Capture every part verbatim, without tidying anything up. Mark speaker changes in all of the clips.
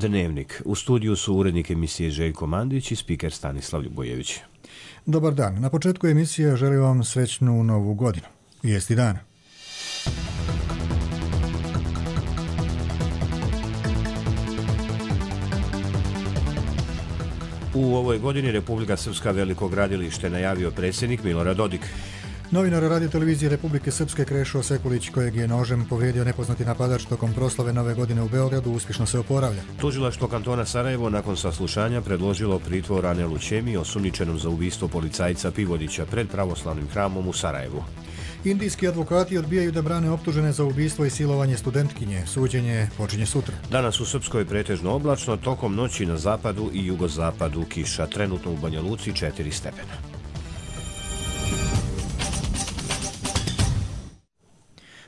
Speaker 1: Dnevnik. U studiju su urednik emisije Željko Mandić i spiker Stanislav Ljubojević.
Speaker 2: Dobar dan. Na početku emisije želim vam srećnu novu godinu. Vijesti dana.
Speaker 1: U ovoj godini Republika Srpska veliko gradilište najavio predsjednik Milorad Dodik.
Speaker 2: Novinar Radio televizije Republike Srpske Krešo Sekulić, kojeg je nožem povrijedio nepoznati napadač tokom proslave Nove godine u Beogradu, uspješno se oporavlja.
Speaker 1: Tužilaštvo kantona Sarajevo nakon saslušanja predložilo pritvor Anelu Ćemi, osumnjičenom za ubistvo policajca Pivodića pred pravoslavnim hramom u Sarajevu.
Speaker 2: Indijski advokati odbijaju da brane optužene za ubistvo i silovanje studentkinje. Suđenje počinje sutra.
Speaker 1: Danas u Srpskoj pretežno oblačno, tokom noći na zapadu i jugozapadu kiša. Trenutno u Banja Luci četiri stepena.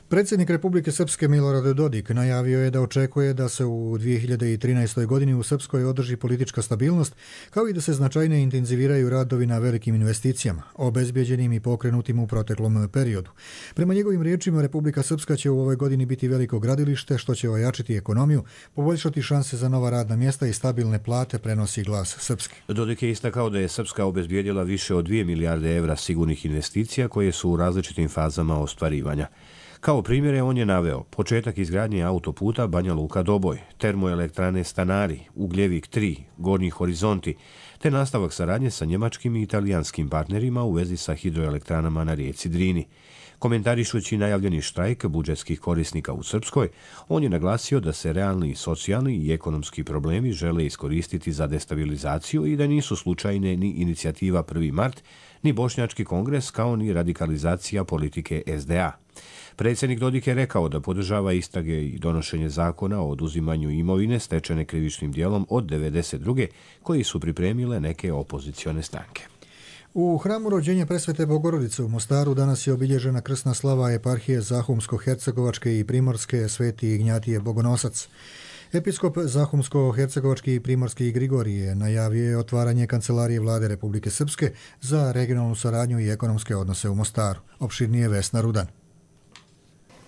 Speaker 2: Predsjednik Republike Srpske Milorad Dodik najavio je da očekuje da se u dvije hiljade trinaestoj. godini u Srpskoj održi politička stabilnost, kao i da se značajnije intenziviraju radovi na velikim investicijama, obezbjeđenim i pokrenutim u proteklom periodu. Prema njegovim riječima, Republika Srpska će u ovoj godini biti veliko gradilište, što će ojačiti ekonomiju, poboljšati šanse za nova radna mjesta i stabilne plate, prenosi Glas Srpske.
Speaker 1: Dodik je istakao da je Srpska obezbjedila više od dvije milijarde evra sigurnih investicija koje su u različitim fazama ostvarivanja. Kao primjere on je naveo početak izgradnje autoputa Banja Luka-Doboj, termoelektrane Stanari, Ugljevik tri, Gornji horizonti, te nastavak saradnje sa njemačkim i italijanskim partnerima u vezi sa hidroelektranama na rijeci Drini. Komentarišući najavljeni štrajk budžetskih korisnika u Srpskoj, on je naglasio da se realni socijalni i ekonomski problemi žele iskoristiti za destabilizaciju i da nisu slučajne ni inicijativa prvi mart, ni Bošnjački kongres, kao ni radikalizacija politike es de a. Predsjednik Dodik je rekao da podržava istrage i donošenje zakona o oduzimanju imovine stečene krivičnim dijelom od devedeset druge koji su pripremile neke opozicione stranke.
Speaker 2: U hramu rođenja Presvete Bogorodice u Mostaru danas je obilježena krsna slava eparhije Zahumsko-Hercegovačke i Primorske Sveti Ignjatije Bogonosac. Episkop Zahumsko-Hercegovački i Primorski Grigorije najavio je otvaranje Kancelarije Vlade Republike Srpske za regionalnu saradnju i ekonomske odnose u Mostaru. Opširnije Vesna Rudan.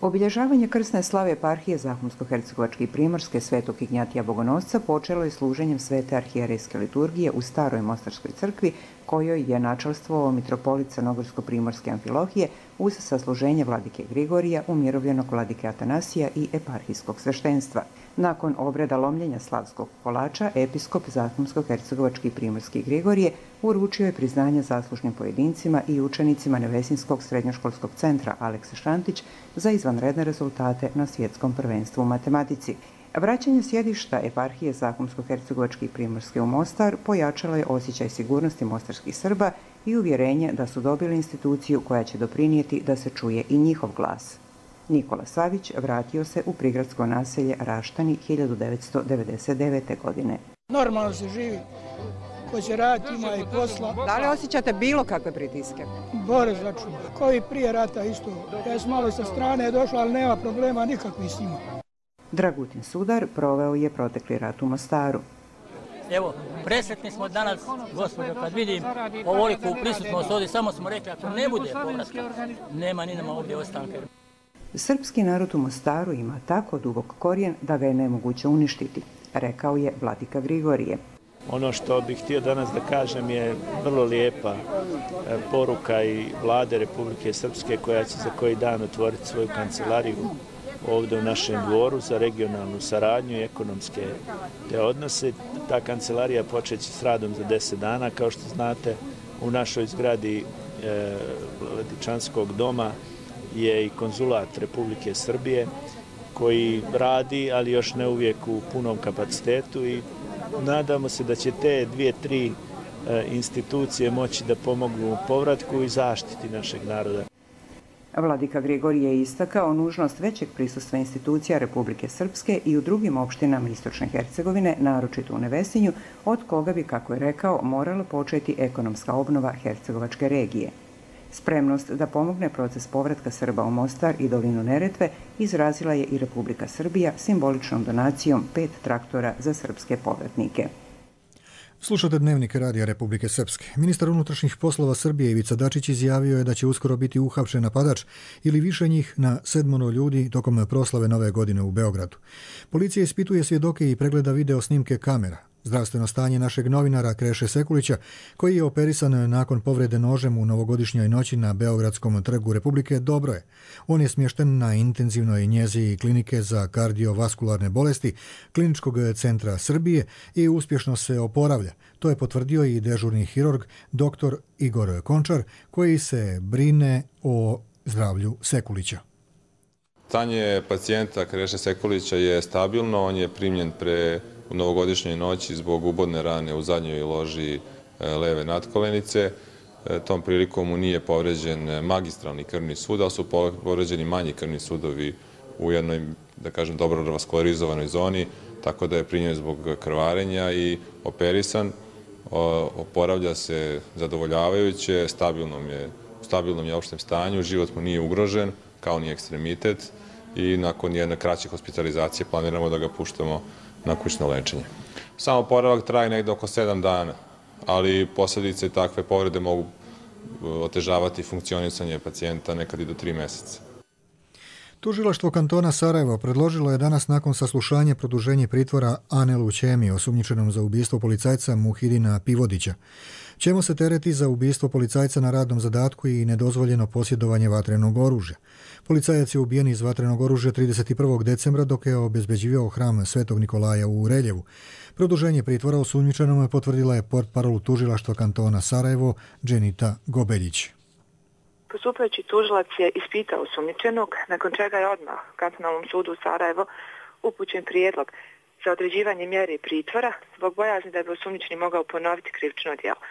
Speaker 3: Obilježavanje krsne slave eparhije Zahumsko-Hercegovačke i Primorske Svetog Ignjatija Bogonosca počelo je služenjem svete arhijerejske liturgije u staroj Mostarskoj crkvi, kojoj je načelstvovao mitropolit Crnogorsko-Primorske Amfilohije uz sasluženje vladike Grigorija, umirovljenog vladike Atanasija i eparhijskog sveštenstva. Nakon obreda lomljenja slavskog kolača, episkop Zahumsko-Hercegovački i Primorski Grigorije uručio je priznanje zaslužnim pojedincima i učenicima Nevesinskog srednjoškolskog centra Aleksa Šantić za izvanredne rezultate na svjetskom prvenstvu u matematici. Vraćanje sjedišta eparhije Zahumsko-Hercegovačke i Primorske u Mostar pojačalo je osjećaj sigurnosti mostarskih Srba i uvjerenje da su dobili instituciju koja će doprinijeti da se čuje i njihov glas. Nikola Savić vratio se u prigradsko naselje Raštani hiljadu devetsto devedeset devete. godine.
Speaker 4: Normalno se živi, ko će raditi ima i posla.
Speaker 3: Da li osjećate bilo kakve pritiske?
Speaker 4: Bore začuva, kao i prije rata isto. Ja sam malo sa strane došla, ali nema problema nikakvih s njima.
Speaker 3: Dragutin Sudar proveo je protekli rat u Mostaru.
Speaker 5: Evo, presretni smo danas, gospođo, kad vidim ovoliku prisutnost ovdje, samo smo rekli, ako ne bude povratka, nema ni nama ovdje ostanke.
Speaker 3: Srpski narod u Mostaru ima tako dubok korijen da ga je nemoguće uništiti, rekao je vladika Grigorije.
Speaker 6: Ono što bih htio danas da kažem je vrlo lijepa poruka i vlade Republike Srpske koja će za koji dan otvoriti svoju kancelariju ovdje u našem dvoru za regionalnu saradnju i ekonomske te odnose. Ta kancelarija počeće s radom za deset dana. Kao što znate, u našoj zgradi e, Vladičanskog doma je i konzulat Republike Srbije koji radi, ali još ne uvijek u punom kapacitetu i nadamo se da će te dvije, tri e, institucije moći da pomognu u povratku i zaštiti našeg naroda.
Speaker 3: Vladika Grigorije je istakao nužnost većeg prisustva institucija Republike Srpske i u drugim opštinama Istočne Hercegovine, naročito u Nevesinju, od koga bi, kako je rekao, morala početi ekonomska obnova hercegovačke regije. Spremnost da pomogne proces povratka Srba u Mostar i dolinu Neretve izrazila je i Republika Srbija simboličnom donacijom pet traktora za srpske povratnike.
Speaker 2: Slušate Dnevnik Radija Republike Srpske. Ministar unutrašnjih poslova Srbije Ivica Dačić izjavio je da će uskoro biti uhapšen napadač ili više njih na sedmoro ljudi tokom proslave Nove godine u Beogradu. Policija ispituje svjedoke i pregleda video snimke kamera. Zdravstveno stanje našeg novinara Kreše Sekulića, koji je operisan nakon povrede nožem u novogodišnjoj noći na Beogradskom trgu Republike, dobro je. On je smješten na intenzivnoj njezi klinike za kardiovaskularne bolesti Kliničkog centra Srbije i uspješno se oporavlja. To je potvrdio i dežurni hirurg dr. Igor Končar, koji se brine o zdravlju Sekulića.
Speaker 7: Stanje pacijenta Kreše Sekulića je stabilno, on je primljen pre u novogodišnjoj noći zbog ubodne rane u zadnjoj loži leve natkolenice. Tom prilikom mu nije povređen magistralni krvni sud, ali su povređeni manji krvni sudovi u jednoj, da kažem, dobro vaskularizovanoj zoni, tako da je primljen zbog krvarenja i operisan. Oporavlja se zadovoljavajuće, stabilnom je, u stabilnom je opštem stanju, život mu nije ugrožen, kao ni ekstremitet, i nakon jedne kraće hospitalizacije planiramo da ga puštamo na kućno lečenje. Samo oporavak traje negde oko sedam dana, ali posljedice takve povrede mogu otežavati funkcionisanje pacijenta nekad i do tri mjeseca.
Speaker 2: Tužilaštvo kantona Sarajevo predložilo je danas nakon saslušanja produženje pritvora Anelu Ćemi, osumnjičenom za ubistvo policajca Muhidina Pivodića. Ćemo se tereti za ubistvo policajca na radnom zadatku i nedozvoljeno posjedovanje vatrenog oružja. Policajac je ubijen iz vatrenog oružja trideset prvog decembra dok je obezbeđivao hram Svetog Nikolaja u Reljevu. Produženje pritvora osumnjičenom potvrdila je portparol tužilaštva kantona Sarajevo Dženita Gobeljić.
Speaker 8: Postupajući tužilac je ispitao osumnjičenog, nakon čega je odmah kantonalnom sudu u Sarajevo upućen prijedlog za određivanje mjere pritvora zbog bojazni da bi osumnjičeni mogao ponoviti krivično djelo.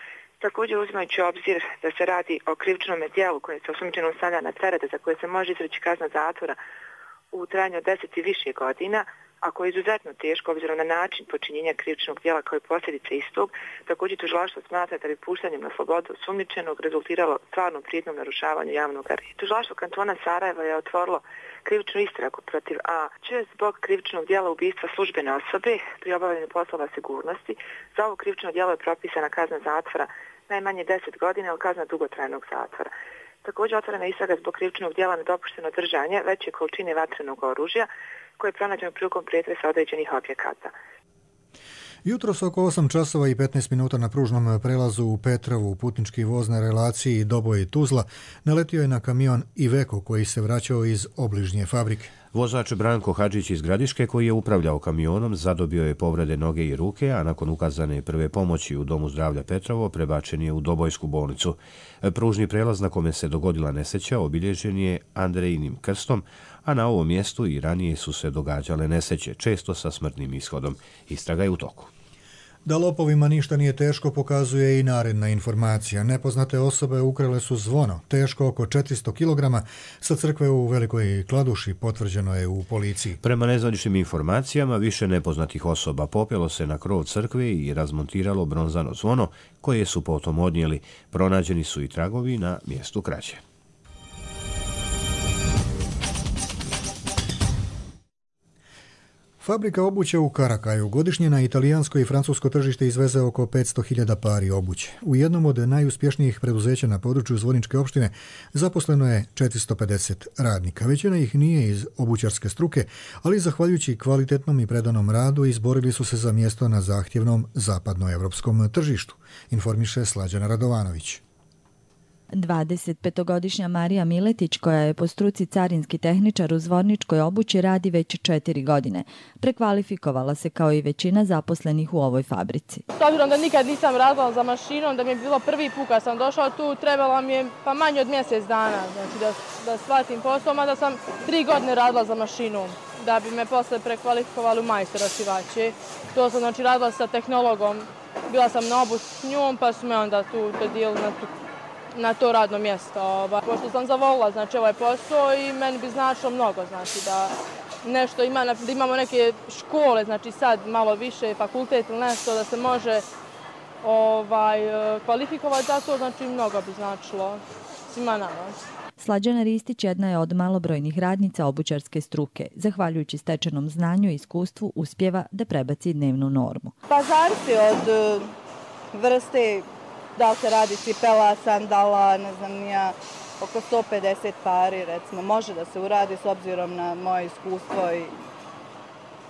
Speaker 8: Također, uzimajući obzir da se radi o krivičnom djelu koje se osumnjičenom stavlja na teret, za koje se može izreći kazna zatvora u trajanju od deset i više godina, a koje je izuzetno teško obzirom na način počinjenja krivičnog djela kao i posljedice istog, također tužilaštvo smatra da bi puštanjem na slobodu osumnjičenog rezultiralo stvarnom prijetnjom narušavanju javnog reda. Tužilaštvo kantona Sarajeva je otvorilo krivičnu istragu protiv A Č zbog krivičnog djela ubistva službene osobe pri obavljanju poslova sigurnosti. Za ovo krivično djelo je propisana kazna zatvora najmanje deset godina ili kazna dugotrajnog zatvora. Također otvorena istraga zbog krivičnog djela nedopušteno držanje veće količine vatrenog oružja koje je pronađeno prilikom pretresa određenih objekata.
Speaker 2: Jutros oko osam časova i petnaest minuta na pružnom prelazu u Petrovu putnički voz na relaciji Doboj-Tuzla naletio je na kamion Iveco koji se vraćao iz obližnje fabrike.
Speaker 1: Vozač Branko Hadžić iz Gradiške, koji je upravljao kamionom, zadobio je povrede noge i ruke, a nakon ukazane prve pomoći u Domu zdravlja Petrovo prebačen je u Dobojsku bolnicu. Pružni prelaz na kome se dogodila nesreća obilježen je Andrejinim krstom, a na ovom mjestu i ranije su se događale nesreće, često sa smrtnim ishodom. Istraga je u toku.
Speaker 2: Da lopovima ništa nije teško pokazuje i naredna informacija. Nepoznate osobe ukrale su zvono, teško oko četiristo kilograma, sa crkve u Velikoj Kladuši, potvrđeno je u policiji.
Speaker 1: Prema nezvaničnim informacijama, više nepoznatih osoba popelo se na krov crkve i razmontiralo bronzano zvono, koje su potom odnijeli. Pronađeni su i tragovi na mjestu krađe.
Speaker 2: Fabrika obuće u Karakaju godišnje na italijansko i francusko tržište izveze oko petsto hiljada pari obuće. U jednom od najuspješnijih preduzeća na području Zvorničke opštine zaposleno je četiristo pedeset radnika. Većina ih nije iz obućarske struke, ali zahvaljujući kvalitetnom i predanom radu izborili su se za mjesto na zahtjevnom zapadnoevropskom tržištu, informiše Slađana Radovanović.
Speaker 9: dvadesetpetogodišnja Marija Miletić, koja je po struci carinski tehničar u Zvorničkoj obući, radi već četiri godine. Prekvalifikovala se kao i većina zaposlenih u ovoj fabrici.
Speaker 10: S obzirom da nikad nisam radila za mašinom, da mi je bilo prvi put kad sam došla tu, trebala mi je pa manje od mjesec dana znači da, da shvatim posao, mada sam tri godine radila za mašinom da bi me posle prekvalifikovali u majstora šivače. To sam znači radila sa tehnologom, bila sam na obuci s njom pa su me onda tu dodijelili na tu na to radno mjesto. Pošto sam zavolila znači, ovaj posao i meni bi značilo mnogo, znači da nešto ima, da imamo neke škole, znači sad malo više fakultet ili nešto, da se može ovaj, kvalifikovati za to, znači mnogo bi značilo svima nama.
Speaker 9: Slađana Ristić jedna je od malobrojnih radnica obućarske struke. Zahvaljujući stečenom znanju i iskustvu uspjeva da prebaci dnevnu normu.
Speaker 10: Pa zavisi od vrste, da li se radi cipela, sandala, ne znam ja, oko sto pedeset pari recimo, može da se uradi s obzirom na moje iskustvo i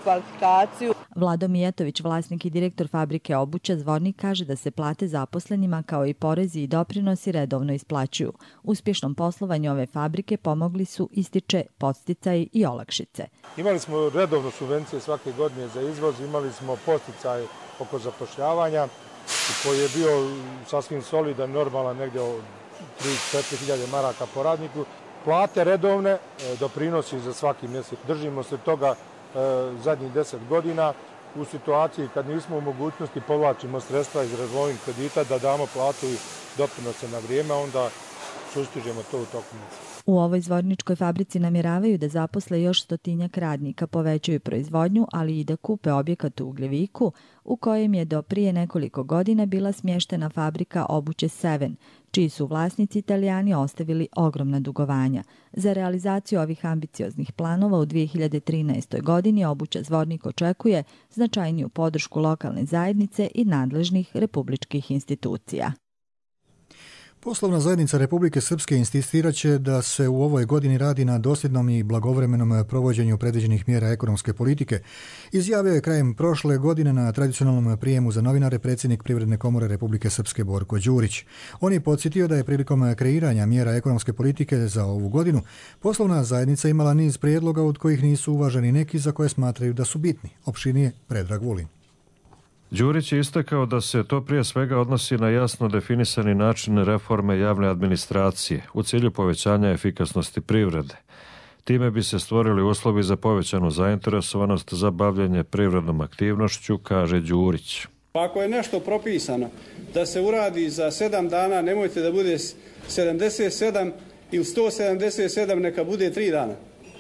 Speaker 10: kvalifikaciju.
Speaker 9: Vlado Mijetović, vlasnik i direktor fabrike obuće Zvornik, kaže da se plate zaposlenima kao i porezi i doprinosi redovno isplaćuju. Uspješnom poslovanju ove fabrike pomogli su, ističe, podsticaji i olakšice.
Speaker 11: Imali smo redovno subvencije svake godine za izvoz, imali smo podsticaj oko zapošljavanja koji je bio sasvim solidan, normalan, negdje od tri do četiri hiljade maraka po radniku. Plate redovne, doprinosi za svaki mjesec. Držimo se toga zadnjih deset godina. U situaciji kad nismo u mogućnosti povlačimo sredstva iz revolving kredita da damo platu i doprinose na vrijeme, onda sustižemo to u toku mjeseca.
Speaker 9: U ovoj zvorničkoj fabrici namjeravaju da zaposle još stotinjak radnika, povećaju proizvodnju, ali i da kupe objekat u Ugljeviku, u kojem je do prije nekoliko godina bila smještena fabrika obuće Seven, čiji su vlasnici Italijani ostavili ogromna dugovanja. Za realizaciju ovih ambicioznih planova u dvije hiljade trinaestoj. godini obuća Zvornik očekuje značajniju podršku lokalne zajednice i nadležnih republičkih institucija.
Speaker 2: Poslovna zajednica Republike Srpske insistirat će da se u ovoj godini radi na dosljednom i blagovremenom provođenju predviđenih mjera ekonomske politike. Izjavio je krajem prošle godine na tradicionalnom prijemu za novinare predsjednik Privredne komore Republike Srpske Borko Đurić. On je podsjetio da je prilikom kreiranja mjera ekonomske politike za ovu godinu poslovna zajednica imala niz prijedloga od kojih nisu uvaženi neki za koje smatraju da su bitni. Opširnije Predrag Vulin.
Speaker 12: Đurić je istakao da se to prije svega odnosi na jasno definisani način reforme javne administracije u cilju povećanja efikasnosti privrede. Time bi se stvorili uslovi za povećanu zainteresovanost za bavljenje privrednom aktivnošću, kaže Đurić.
Speaker 13: Ako je nešto propisano da se uradi za sedam dana, nemojte da bude sedamdeset sedam ili sto sedamdeset sedam, neka bude tri dana.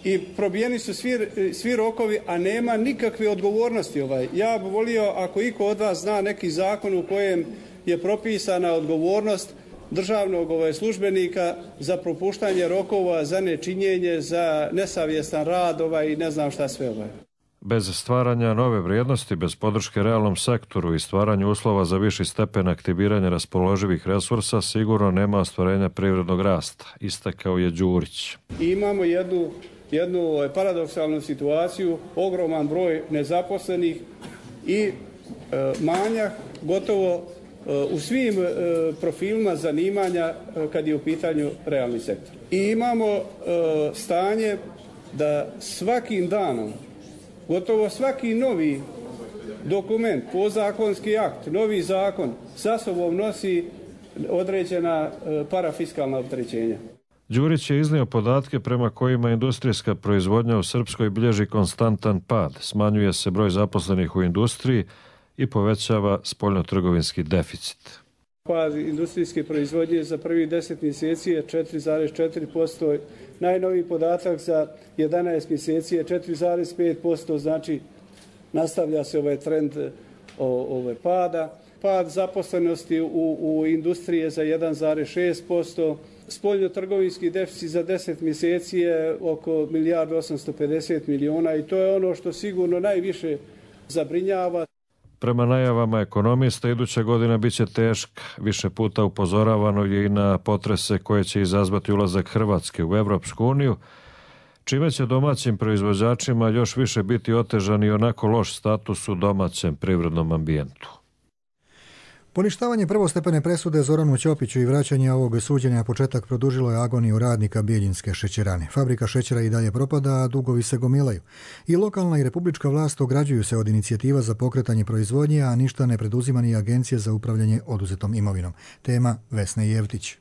Speaker 13: I probijeni su svi, svi rokovi, a nema nikakve odgovornosti. Ovaj. Ja bih volio, ako iko od vas zna neki zakon u kojem je propisana odgovornost državnog ovaj, službenika za propuštanje rokova, za nečinjenje, za nesavjestan rad ovaj, i ne znam šta sve. Ovaj.
Speaker 12: Bez stvaranja nove vrijednosti, bez podrške realnom sektoru i stvaranju uslova za viši stepen aktiviranja raspoloživih resursa, sigurno nema ostvarenja privrednog rasta, istakao je Đurić.
Speaker 13: I imamo jednu jednu paradoksalnu situaciju, ogroman broj nezaposlenih i e, manjak gotovo e, u svim e, profilima zanimanja e, kad je u pitanju realni sektor. I imamo e, stanje da svakim danom, gotovo svaki novi dokument, podzakonski akt, novi zakon sa sobom nosi određena e, parafiskalna opterećenja.
Speaker 12: Đurić je iznio podatke prema kojima industrijska proizvodnja u Srpskoj bilježi konstantan pad, smanjuje se broj zaposlenih u industriji i povećava spoljnotrgovinski deficit.
Speaker 13: Pad industrijske proizvodnje za prvih deset mjeseci je četiri zarez četiri posto, najnoviji podatak za jedanaest mjeseci je četiri zarez pet posto, znači nastavlja se ovaj trend ovaj pada. Pad zaposlenosti u, u industriji je za jedan zarez šest posto, spoljnotrgovinski deficit za deset mjeseci je oko milijardu osamsto pedeset miliona i to je ono što sigurno najviše zabrinjava.
Speaker 12: Prema najavama ekonomista, iduća godina biće teška. Više puta upozoravano je i na potrese koje će izazvati ulazak Hrvatske u Evropsku uniju, čime će domaćim proizvođačima još više biti otežan i onako loš status u domaćem privrednom ambijentu.
Speaker 2: Poništavanje prvostepene presude Zoranu Ćopiću i vraćanje ovog suđenja početak produžilo je agoniju radnika Bijeljinske šećerane. Fabrika šećera i dalje propada, a dugovi se gomilaju. I lokalna i republička vlast ograđuju se od inicijativa za pokretanje proizvodnje, a ništa ne preduzima ni Agencija za upravljanje oduzetom imovinom. Tema Vesne Jevtić.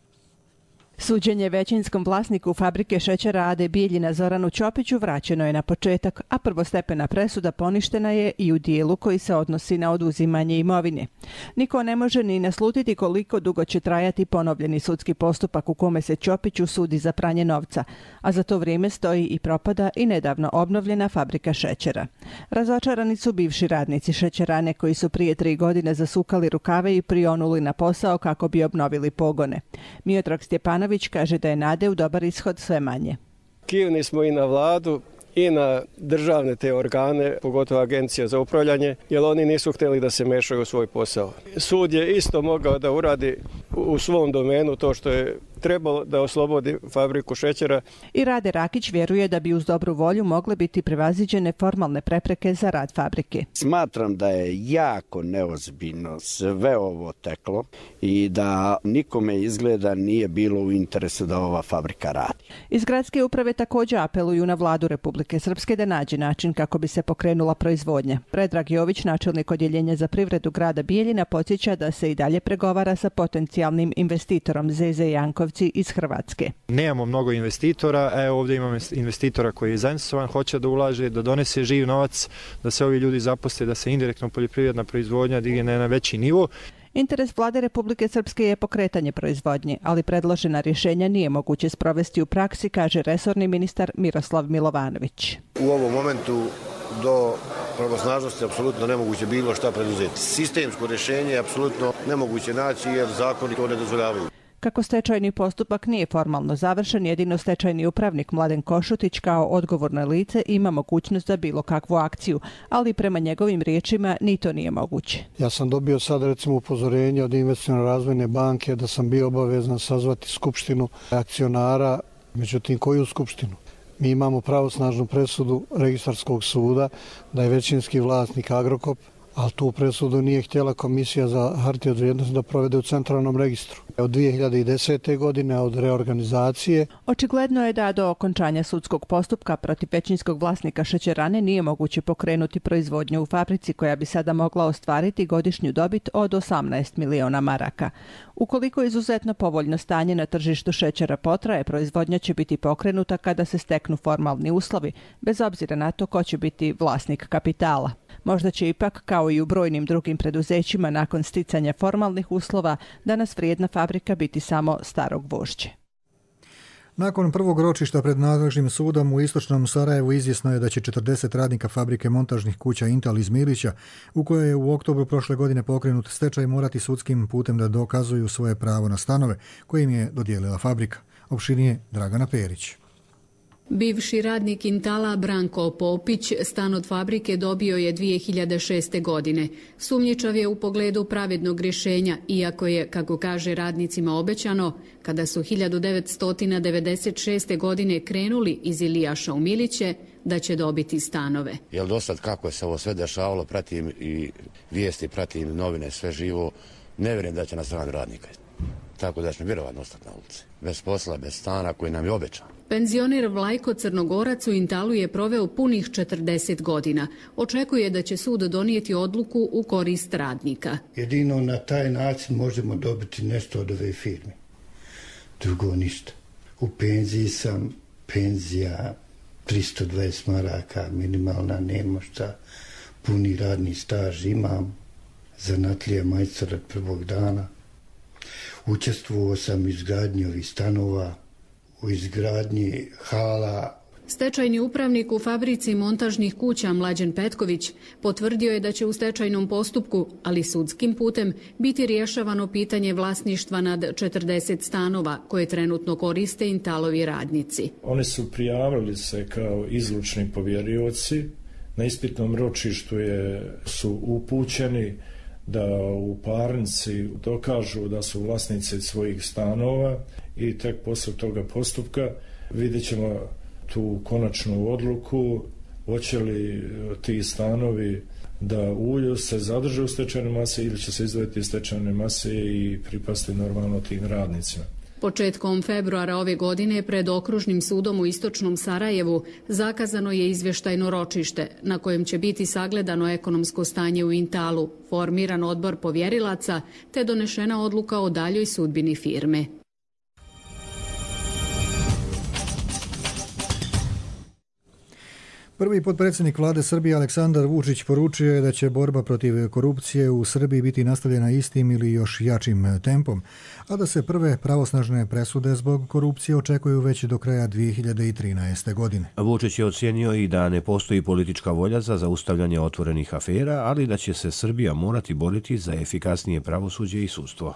Speaker 14: Suđenje većinskom vlasniku fabrike šećera A D Bijeljina Zoranu Ćopiću vraćeno je na početak, a prvostepena presuda poništena je i u dijelu koji se odnosi na oduzimanje imovine. Niko ne može ni naslutiti koliko dugo će trajati ponovljeni sudski postupak u kome se Ćopiću sudi za pranje novca, a za to vrijeme stoji i propada i nedavno obnovljena fabrika šećera. Razočarani su bivši radnici šećerane koji su prije tri godine zasukali rukave i prionuli na posao kako bi obnovili pogone. Miodrag Stjepanović kaže da je nade u dobar ishod sve manje.
Speaker 15: Kivni smo i na vladu i na državne te organe, pogotovo Agencija za upravljanje, jer oni nisu htjeli da se mešaju u svoj posao. Sud je isto mogao da uradi u svom domenu to što je trebalo da oslobodi fabriku šećera.
Speaker 14: I Rade Rakić vjeruje da bi uz dobru volju mogle biti prevaziđene formalne prepreke za rad fabrike.
Speaker 16: Smatram da je jako neozbiljno sve ovo teklo i da nikome izgleda nije bilo u interesu da ova fabrika radi.
Speaker 14: Iz gradske uprave također apeluju na vladu Republike Srpske da nađe način kako bi se pokrenula proizvodnja. Predrag Jović, načelnik odjeljenja za privredu grada Bijeljina, podsjeća da se i dalje pregovara sa potencijalnim investitorom Zeze Jankovci iz Hrvatske.
Speaker 17: Nemamo mnogo investitora, evo ovdje imamo investitora koji je zainteresovan, hoće da ulaže, da donese živ novac, da se ovi ljudi zaposle, da se indirektno poljoprivredna proizvodnja digne na veći nivo.
Speaker 14: Interes vlade Republike Srpske je pokretanje proizvodnje, ali predložena rješenja nije moguće sprovesti u praksi, kaže resorni ministar Miroslav Milovanović.
Speaker 18: U ovom momentu do pravosnažnosti apsolutno nemoguće bilo šta preduzeti. Sistemsko rješenje je apsolutno nemoguće naći jer zakoni to ne dozvoljavaju.
Speaker 14: Kako stečajni postupak nije formalno završen, jedino stečajni upravnik Mladen Košutić kao odgovorno lice ima mogućnost za bilo kakvu akciju, ali prema njegovim riječima ni to nije moguće.
Speaker 19: Ja sam dobio sad recimo upozorenje od Investicione razvojne banke da sam bio obavezan sazvati skupštinu akcionara, međutim koju skupštinu? Mi imamo pravosnažnu presudu registarskog suda da je većinski vlasnik Agrokop, ali tu presudu nije htjela Komisija za hartije od vrijednosti da provede u centralnom registru. Od dvije hiljade desete. godine, od reorganizacije.
Speaker 14: Očigledno je da do okončanja sudskog postupka protiv većinskog vlasnika šećerane nije moguće pokrenuti proizvodnju u fabrici koja bi sada mogla ostvariti godišnju dobit od osamnaest miliona maraka. Ukoliko izuzetno povoljno stanje na tržištu šećera potraje, proizvodnja će biti pokrenuta kada se steknu formalni uslovi, bez obzira na to ko će biti vlasnik kapitala. Možda će ipak, kao i u brojnim drugim preduzećima, nakon sticanja formalnih uslova, danas vrijedna fabrika biti samo staro gvožđe.
Speaker 2: Nakon prvog ročišta pred nadležnim sudom u istočnom Sarajevu izvjesno je da će četrdeset radnika fabrike montažnih kuća Intal iz Milića, u kojoj je u oktobru prošle godine pokrenut stečaj, morati sudskim putem da dokazuju svoje pravo na stanove koje im je dodijelila fabrika. Opširnije Dragana Perić.
Speaker 20: Bivši radnik Intala Branko Popić stan od fabrike dobio je dvije hiljade šeste. godine. Sumnjičav je u pogledu pravednog rješenja, iako je, kako kaže radnicima obećano, kada su hiljadu devetsto devedeset šeste. godine krenuli iz Ilijaša u Miliće, da će dobiti stanove.
Speaker 21: Jel do sad kako je se ovo sve dešavalo, pratim i vijesti, pratim novine, sve živo, ne vjerujem da će nas strani radnika. Tako da ćemo vjerovatno ostati na ulici. Bez posla, bez stana koji nam je obećan.
Speaker 20: Penzioner Vlajko Crnogorac u Intalu je proveo punih četrdeset godina. Očekuje da će sud donijeti odluku u korist radnika.
Speaker 22: Jedino na taj način možemo dobiti nešto od ove firme. Drugo ništa. U penziji sam, penzija tristo dvadeset maraka, minimalna, nema šta. Puni radni staž imam, zanatlija majstor od prvog dana. Učestvovao sam u izgradnji ovih stanova, u izgradnji hala.
Speaker 20: Stečajni upravnik u fabrici montažnih kuća Mlađen Petković potvrdio je da će u stečajnom postupku, ali sudskim putem, biti rješavano pitanje vlasništva nad četrdeset stanova koje trenutno koriste Intalovi radnici.
Speaker 23: Oni su prijavili se kao izlučni povjerioci. Na ispitnom ročištu je, su upućeni da u parnici dokažu da su vlasnici svojih stanova i tek poslije toga postupka vidjet ćemo tu konačnu odluku, hoće li ti stanovi da ulju se zadrže u stečajnoj masi ili će se izdvojiti iz stečajne mase i pripasti normalno tim radnicima.
Speaker 20: Početkom februara ove godine pred Okružnim sudom u istočnom Sarajevu zakazano je izvještajno ročište na kojem će biti sagledano ekonomsko stanje u Intalu, formiran odbor povjerilaca te donešena odluka o daljoj sudbini firme.
Speaker 2: Prvi potpredsjednik vlade Srbije Aleksandar Vučić poručio je da će borba protiv korupcije u Srbiji biti nastavljena istim ili još jačim tempom, a da se prve pravosnažne presude zbog korupcije očekuju već do kraja dvije hiljade trinaeste. godine.
Speaker 1: Vučić je ocijenio i da ne postoji politička volja za zaustavljanje otvorenih afera, ali da će se Srbija morati boriti za efikasnije pravosuđe i sudstvo.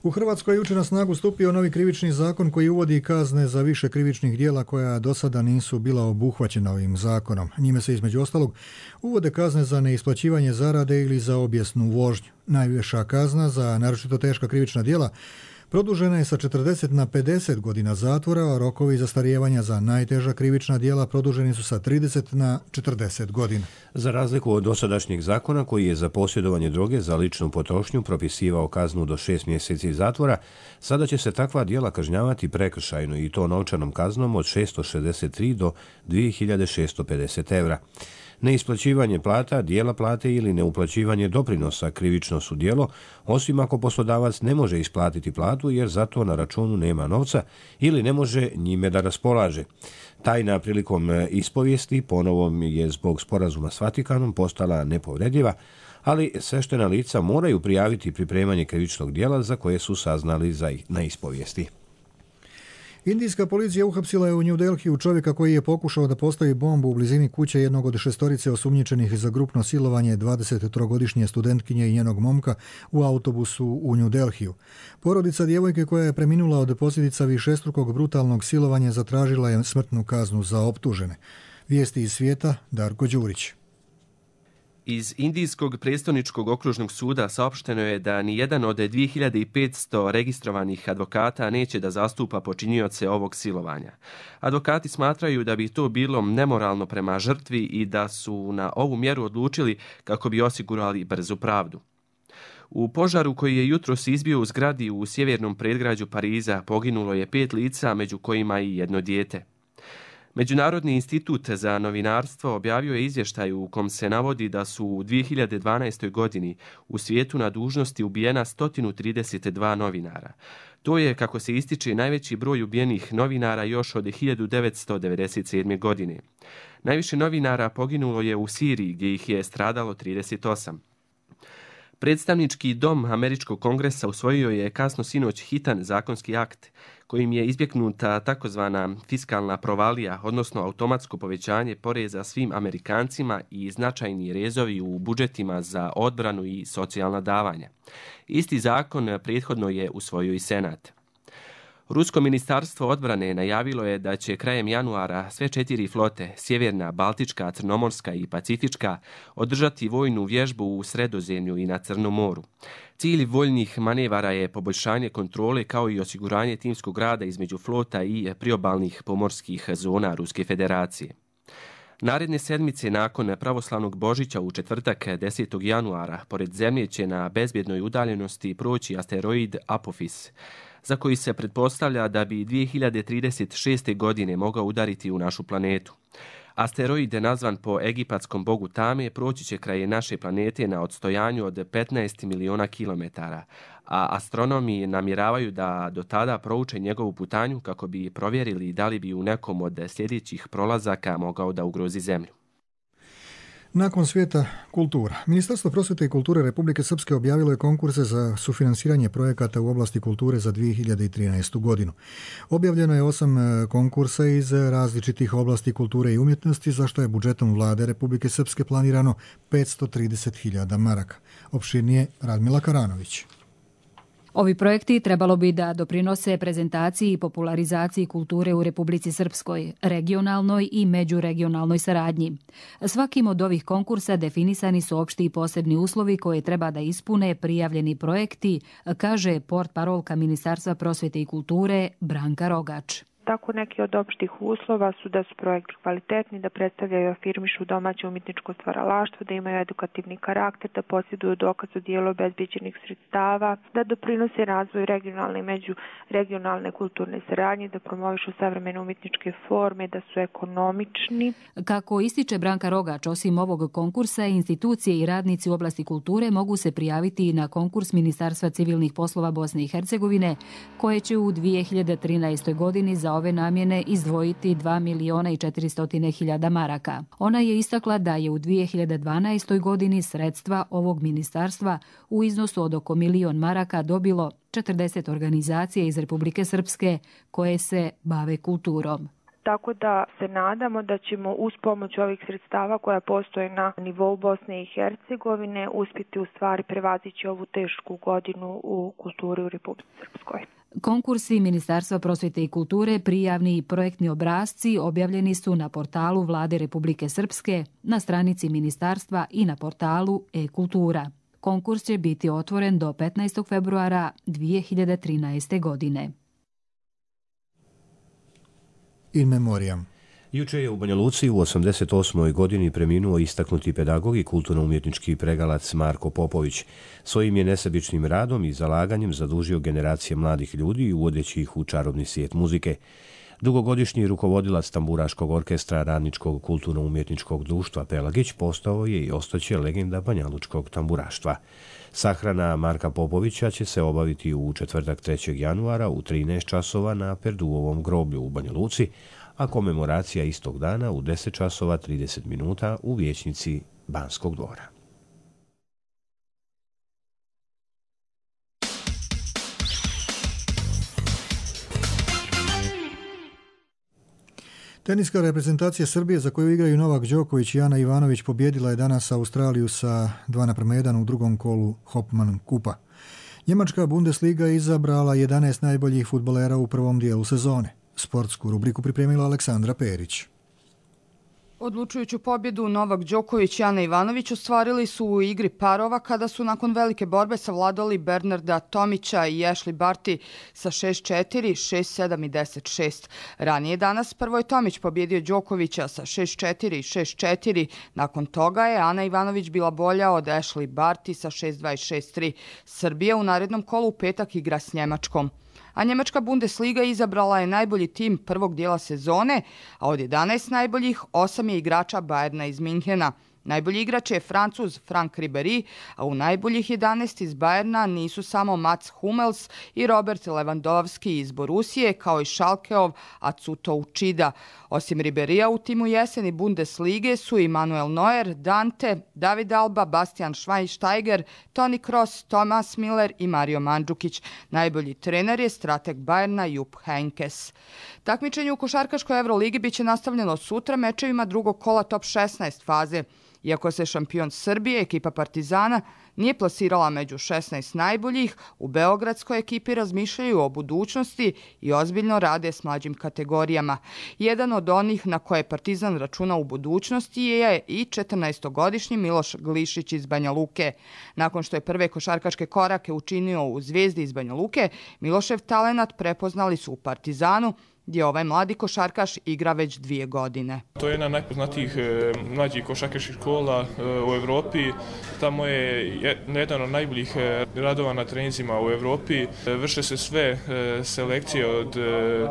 Speaker 2: U Hrvatskoj je jučer na snagu stupio novi krivični zakon koji uvodi kazne za više krivičnih djela koja do sada nisu bila obuhvaćena ovim zakonom. Njime se između ostalog uvode kazne za neisplaćivanje zarade ili za obijesnu vožnju. Najviša kazna za naročito teška krivična djela produžena je sa četrdeset na pedeset godina zatvora, a rokovi zastarijevanja za najteža krivična djela produženi su sa trideset na četrdeset godina.
Speaker 1: Za razliku od dosadašnjeg zakona koji je za posjedovanje droge za ličnu potrošnju propisivao kaznu do šest mjeseci zatvora, sada će se takva djela kažnjavati prekršajno i to novčanom kaznom od šesto šezdeset tri do dvije hiljade šesto pedeset evra. Neisplaćivanje plata, dijela plate ili neuplaćivanje doprinosa krivično su djelo, osim ako poslodavac ne može isplatiti platu jer za to na računu nema novca ili ne može njime da raspolaže. Tajna prilikom ispovijesti ponovom je zbog sporazuma s Vatikanom postala nepovrediva, ali sveštena lica moraju prijaviti pripremanje krivičnog djela za koje su saznali za na ispovijesti.
Speaker 2: Indijska policija uhapsila je u New Delhiju čovjeka koji je pokušao da postavi bombu u blizini kuće jednog od šestorice osumnjičenih za grupno silovanje dvadesettrogodišnje studentkinje i njenog momka u autobusu u New Delhiju. Porodica djevojke koja je preminula od posljedica višestrukog brutalnog silovanja zatražila je smrtnu kaznu za optužene. Vijesti iz svijeta, Darko Đurić.
Speaker 4: Iz Indijskog predstavničkog okružnog suda saopšteno je da ni jedan od dvije hiljade petsto registrovanih advokata neće da zastupa počinioce ovog silovanja. Advokati smatraju da bi to bilo nemoralno prema žrtvi i da su na ovu mjeru odlučili kako bi osigurali brzu pravdu. U požaru koji je jutros izbio u zgradi u sjevernom predgrađu Pariza poginulo je pet lica, među kojima i jedno dijete. Međunarodni institut za novinarstvo objavio je izvještaj u kom se navodi da su u dvije hiljade dvanaestoj. godini u svijetu na dužnosti ubijena sto trideset dva novinara. To je, kako se ističe, najveći broj ubijenih novinara još od hiljadu devetsto devedeset sedme. godine. Najviše novinara poginulo je u Siriji, gdje ih je stradalo trideset osam. Predstavnički dom Američkog kongresa usvojio je kasno sinoć hitan zakonski akt kojim je izbjegnuta takozvana fiskalna provalija, odnosno automatsko povećanje poreza svim Amerikancima i značajni rezovi u budžetima za odbranu i socijalna davanja. Isti zakon prethodno je usvojio i Senat. Rusko ministarstvo odbrane najavilo je da će krajem januara sve četiri flote, sjeverna, baltička, crnomorska i pacifička, održati vojnu vježbu u Sredozemlju i na Crnom moru. Cilj vojnih manevara je poboljšanje kontrole kao i osiguranje timskog rada između flota i priobalnih pomorskih zona Ruske federacije. Naredne sedmice nakon pravoslavnog Božića u četvrtak desetog januara pored Zemlje će na bezbjednoj udaljenosti proći asteroid Apophis, za koji se pretpostavlja da bi dvije hiljade trideset šeste. godine mogao udariti u našu planetu. Asteroid, nazvan po egipatskom bogu Tame, proći će kraj naše planete na odstojanju od petnaest miliona kilometara, a astronomi namjeravaju da do tada prouče njegovu putanju kako bi provjerili da li bi u nekom od sljedećih prolazaka mogao da ugrozi Zemlju.
Speaker 2: Nakon svijeta kultura. Ministarstvo prosvjete i kulture Republike Srpske objavilo je konkurse za sufinansiranje projekata u oblasti kulture za dvije hiljade trinaestu. godinu. Objavljeno je osam konkursa iz različitih oblasti kulture i umjetnosti, za što je budžetom vlade Republike Srpske planirano petsto trideset hiljada maraka. Opširnije Radmila Karanović.
Speaker 5: Ovi projekti trebalo bi da doprinose prezentaciji i popularizaciji kulture u Republici Srpskoj, regionalnoj i međuregionalnoj saradnji. Svakim od ovih konkursa definisani su opšti i posebni uslovi koje treba da ispune prijavljeni projekti, kaže portparolka Ministarstva prosvjete i kulture Branka Rogač.
Speaker 8: Tako neki od opštih uslova su da su projekti kvalitetni, da predstavljaju i afirmišu domaće umjetničko stvaralaštvo, da imaju edukativni karakter, da posjeduju dokaz o dijelu obezbijeđenih sredstava, da doprinose razvoju regionalne i međuregionalne kulturne saradnje, da promovišu savremene umjetničke forme, da su ekonomični.
Speaker 5: Kako ističe Branka Rogač, osim ovog konkursa, institucije i radnici u oblasti kulture mogu se prijaviti na konkurs Ministarstva civilnih poslova Bosne i Hercegovine, koje će u dvije hiljade trinaestoj. godini za ove namjene izdvojiti dva miliona i četiristo hiljada maraka. Ona je istakla da je u dvije hiljade dvanaestoj. godini sredstva ovog ministarstva u iznosu od oko milion maraka dobilo četrdeset organizacija iz Republike Srpske koje se bave kulturom.
Speaker 8: tako da se nadamo da ćemo uz pomoć ovih sredstava koja postoje na nivou Bosne i Hercegovine uspjeti u stvari prevazići ovu tešku godinu u kulturi u Republici Srpskoj.
Speaker 5: Konkursi Ministarstva prosvjete i kulture, prijavni i projektni obrasci objavljeni su na portalu Vlade Republike Srpske, na stranici ministarstva i na portalu e-kultura. Konkurs će biti otvoren do petnaestog februara dvije hiljade trinaeste. godine.
Speaker 2: In memoriam.
Speaker 1: Juče je u Banja Luci u osamdeset osmoj godini preminuo istaknuti pedagog i kulturno-umjetnički pregalac Marko Popović. Svojim je nesebičnim radom i zalaganjem zadužio generacije mladih ljudi uvodeći ih u čarobni svijet muzike. Dugogodišnji rukovodilac tamburaškog orkestra Radničkog kulturno-umjetničkog društva Pelagić postao je i ostaće legenda banjalučkog tamburaštva. Sahrana Marka Popovića će se obaviti u četvrtak trećeg januara u trinaest časova na Perduovom groblju u Banja Luci, a komemoracija istog dana u deset časova trideset minuta u vijećnici Banskog dvora.
Speaker 2: Teniska reprezentacija Srbije za koju igraju Novak Đoković i Ana Ivanović pobjedila je danas Australiju sa dva naprema jedan u drugom kolu Hopman kupa. Njemačka Bundesliga je izabrala jedanaest najboljih fudbalera u prvom dijelu sezone. Sportsku rubriku pripremila Aleksandra Perić.
Speaker 3: Odlučujuću pobjedu Novak Đoković i Ana Ivanović ostvarili su u igri parova kada su nakon velike borbe savladali Bernarda Tomića i Ashley Barty sa šest četiri, šest sedam i deset šest. Ranije danas prvo je Tomić pobjedio Đokovića sa šest četiri i šest četiri. Nakon toga je Ana Ivanović bila bolja od Ashley Barty sa šest dva i šest tri. Srbija u narednom kolu u petak igra s Njemačkom. A njemačka Bundesliga izabrala je najbolji tim prvog dijela sezone, a od jedanaest najboljih osam je igrača Bayerna iz Minhena. Najbolji igrač je Francuz Frank Ribéry, a u najboljih jedanaest iz Bayerna nisu samo Mats Hummels i Robert Lewandowski iz Borusije, kao i Schalkeov Atsuto Uchida. Osim Ribéryja u timu jeseni Bundeslige su i Manuel Neuer, Dante, David Alba, Bastian Schweinsteiger, Toni Kroos, Thomas Müller i Mario Mandžukić. Najbolji trener je strateg Bayerna Jupp Heynckes. Takmičenje u košarkaškoj Euroligi biće nastavljeno sutra mečevima drugog kola top šesnaest faze. Iako se šampion Srbije, ekipa Partizana, nije plasirala među šesnaest najboljih, u beogradskoj ekipi razmišljaju o budućnosti i ozbiljno rade s mlađim kategorijama. Jedan od onih na koje Partizan računa u budućnosti je i četrnaestogodišnji Miloš Glišić iz Banja Luke. Nakon što je prve košarkaške korake učinio u Zvezdi iz Banja Luke, Milošev talenat prepoznali su u Partizanu, gdje ovaj mladi košarkaš igra već dvije godine.
Speaker 6: To je jedna od najpoznatijih e, mlađih košarkaških škola e, u Evropi. Tamo je jedan od najboljih e, radova na treninzima u Evropi. E, vrše se sve e, selekcije od e,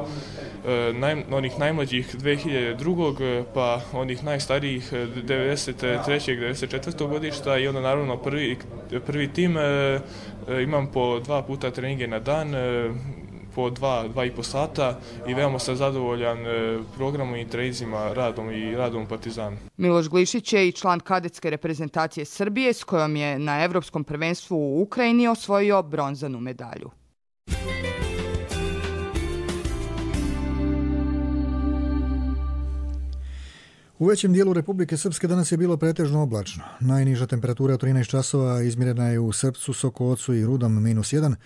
Speaker 6: naj, onih najmlađih dve hiljade druge pa onih najstarijih devedeset trećeg devedeset četvrtog godišta i onda naravno prvi, prvi tim. E, imam po dva puta treninge na dan, e, po dva, dva i po sata i veoma sam zadovoljan programom i treninzima, radom i radom Partizana.
Speaker 3: Miloš Glišić je i član kadetske reprezentacije Srbije s kojom je na Evropskom prvenstvu u Ukrajini osvojio bronzanu medalju.
Speaker 2: U većem dijelu Republike Srpske danas je bilo pretežno oblačno. Najniža temperatura od trinaest časova izmjerena je u Srpcu, Sokocu i Rudom minus jedan,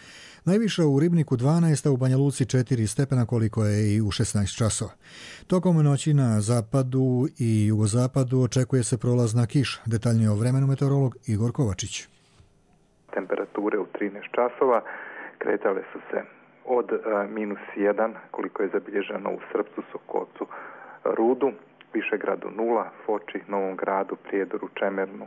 Speaker 2: najviša u Ribniku dvanaest, a u Banja Luci četiri stepena koliko je i u šesnaest časova. Tokom noći na zapadu i jugozapadu očekuje se prolazna kiša. Detaljnije o vremenu meteorolog Igor Kovačić.
Speaker 7: Temperature u trinaest časova kretale su se od minus jedan koliko je zabilježeno u Srpcu, Sokocu, Rudu, Višegradu nula, Foči, Novom Gradu, Prijedoru, Čemernu,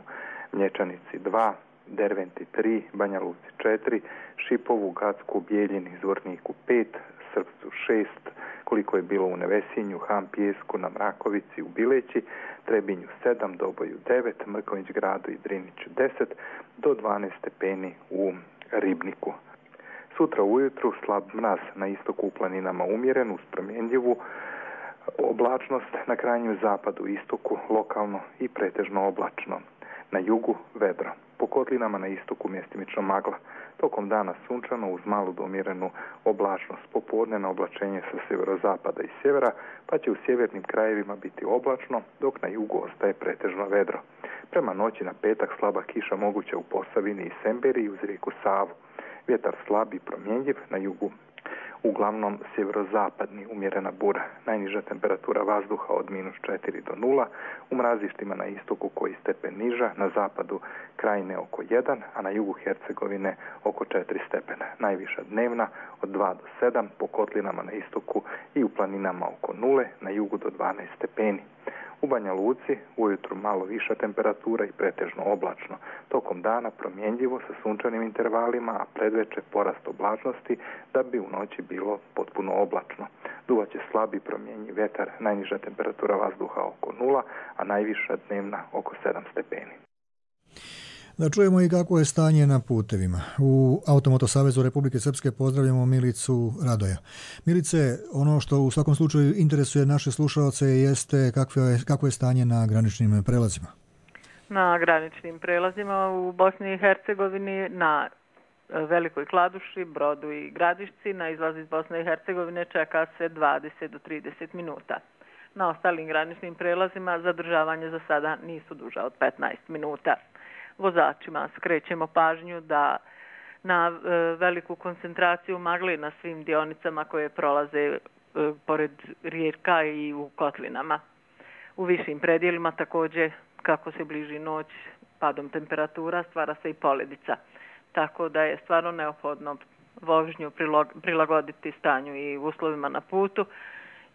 Speaker 7: Mlječanici dva, Derventi tri, Banja Luci četiri, Šipovu, Gacku, Bijeljini, Zvorniku pet, Srpcu šest, koliko je bilo u Nevesinju, Ham Pijesku, na Mrakovici, u Bileći, Trebinju sedam, Doboju devet, Mrković Gradu i Driniću deset, do dvanaest stepeni u Ribniku. Sutra ujutru slab mraz, na istoku u planinama umjeren uz promjenljivu oblačnost, na krajnjem zapadu i istoku lokalno i pretežno oblačno. Na jugu vedro. Po kotlinama na istoku mjestimično magla. Tokom dana sunčano uz malu do umjerenu oblačnost. Popodne na oblačenje sa sjeverozapada i sjevera, pa će u sjevernim krajevima biti oblačno, dok na jugu ostaje pretežno vedro. Prema noći na petak slaba kiša moguća u Posavini i Semberiji uz rijeku Savu. Vjetar slab i promjenjiv, na jugu uglavnom sjeverozapadni, umjerena bura. Najniža temperatura vazduha od minus četiri do nula, u mrazištima na istoku koji stepen niža, na zapadu Krajine oko jedan, a na jugu Hercegovine oko četiri stepena. Najviša dnevna od dva do sedam, po kotlinama na istoku i u planinama oko nule, na jugu do dvanaest stepeni. U Banja Luci ujutru malo viša temperatura i pretežno oblačno. Tokom dana promjenjivo sa sunčanim intervalima, a predveče porast oblačnosti da bi u noći bilo potpuno oblačno. Duvaće slabi promjenjiv vjetar, najniža temperatura vazduha oko nula, a najviša dnevna oko sedam stepeni.
Speaker 2: Da čujemo i kako je stanje na putevima. U Automoto Savezu Republike Srpske pozdravljamo Milicu Radoja. Milice, ono što u svakom slučaju interesuje naše slušalce jeste kakvo je, kako je stanje na graničnim prelazima.
Speaker 9: Na graničnim prelazima u Bosni i Hercegovini, na Velikoj Kladuši, Brodu i Gradišci, na izlaz iz Bosne i Hercegovine čeka se dvadeset do trideset minuta. Na ostalim graničnim prelazima zadržavanje za sada nisu duža od petnaest minuta. Vozačima skrećemo pažnju da na e, veliku koncentraciju magle na svim dionicama koje prolaze e, pored rijeka i u kotlinama. U višim predjelima također, kako se bliži noć, padom temperatura stvara se i poledica. Tako da je stvarno neophodno vožnju prilagoditi stanju i uslovima na putu.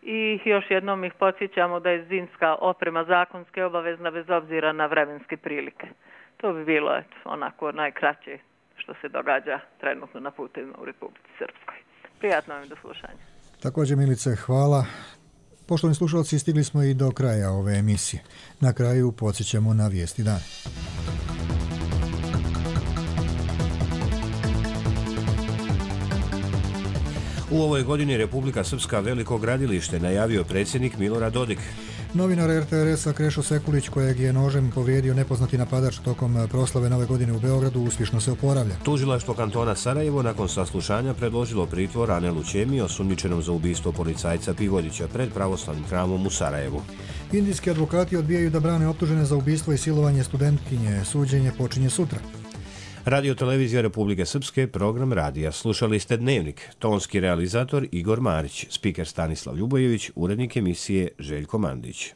Speaker 9: I još jednom ih podsjećamo da je zimska oprema zakonske obavezna bez obzira na vremenske prilike. To bi bilo eto, onako najkraće što se događa trenutno na putevima u Republici Srpskoj. Prijatno vam do slušanja.
Speaker 2: Također, Milice, hvala. Poštovani slušalci, stigli smo i do kraja ove emisije. Na kraju podsjećamo na vijesti dana.
Speaker 1: U ovoj godini Republika Srpska veliko gradilište najavio predsjednik Milorad Dodik.
Speaker 2: Novinar er te er es-a Krešo Sekulić, kojeg je nožem povrijedio nepoznati napadač tokom proslave Nove godine u Beogradu, uspješno se oporavlja.
Speaker 1: Tužilaštvo kantona Sarajevo nakon saslušanja predložilo pritvor Anelu Ćemi, osumnjičenom za ubistvo policajca Pivodića pred pravoslavnim hramom u Sarajevu.
Speaker 2: Indijski advokati odbijaju da brane optužene za ubistvo i silovanje studentkinje. Suđenje počinje sutra.
Speaker 1: Radio Televizija Republike Srpske, program radija. Slušali ste Dnevnik. Tonski realizator Igor Marić, spiker Stanislav Ljubojević, urednik emisije Željko Mandić.